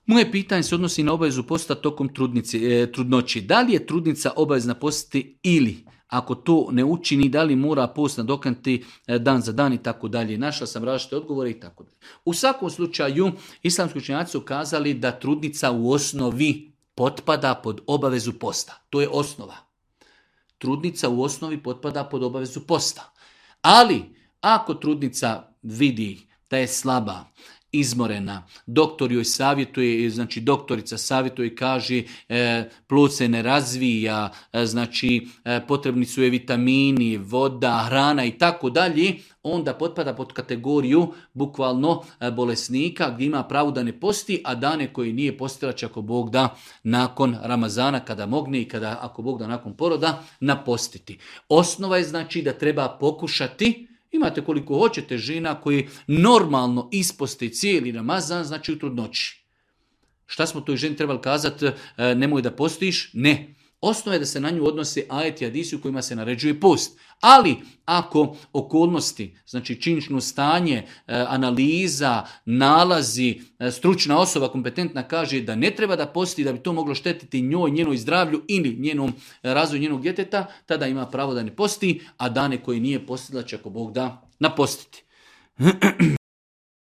Moje pitanje se odnosi na obavezu posta tokom trudnoći. Da li je trudnica obavezna postiti ili ako to ne učini, da li mora post nadoknaditi dan za dan i tako dalje. Našla sam različite odgovore i tako dalje. U svakom slučaju, islamski učenjaci su kazali da trudnica u osnovi potpada pod obavezu posta. To je osnova. Trudnica u osnovi potpada pod obavezu posta. Ali, ako trudnica vidi da je slaba, izmorena, doktor joj savjetuje, znači doktorica savjetuje i kaže plod se ne razvija, znači potrebni su je vitamini, voda, hrana i tako dalje, onda potpada pod kategoriju bukvalno bolesnika gdje ima pravo da ne posti, a dane koji nije postila će ako Bog da nakon Ramazana kada mogne i kada ako Bog da nakon poroda napostiti. Osnova je znači da treba pokušati. Imate koliko hoćete žena koji normalno isposte cijeli Ramazan, znači u trudnoći. Šta smo toj ženi trebali kazati? Nemoj da postiš? Ne. Osnova je da se na nju odnose ajeti i hadisi u kojima se naređuje post. Ali ako okolnosti, znači činjenično stanje, analiza, nalazi, stručna osoba kompetentna kaže da ne treba da posti, da bi to moglo štetiti njoj, njenoj zdravlju ili njenom razvoju njenog djeteta, tada ima pravo da ne posti, a dane koji nije postila će ako Bog da napostiti.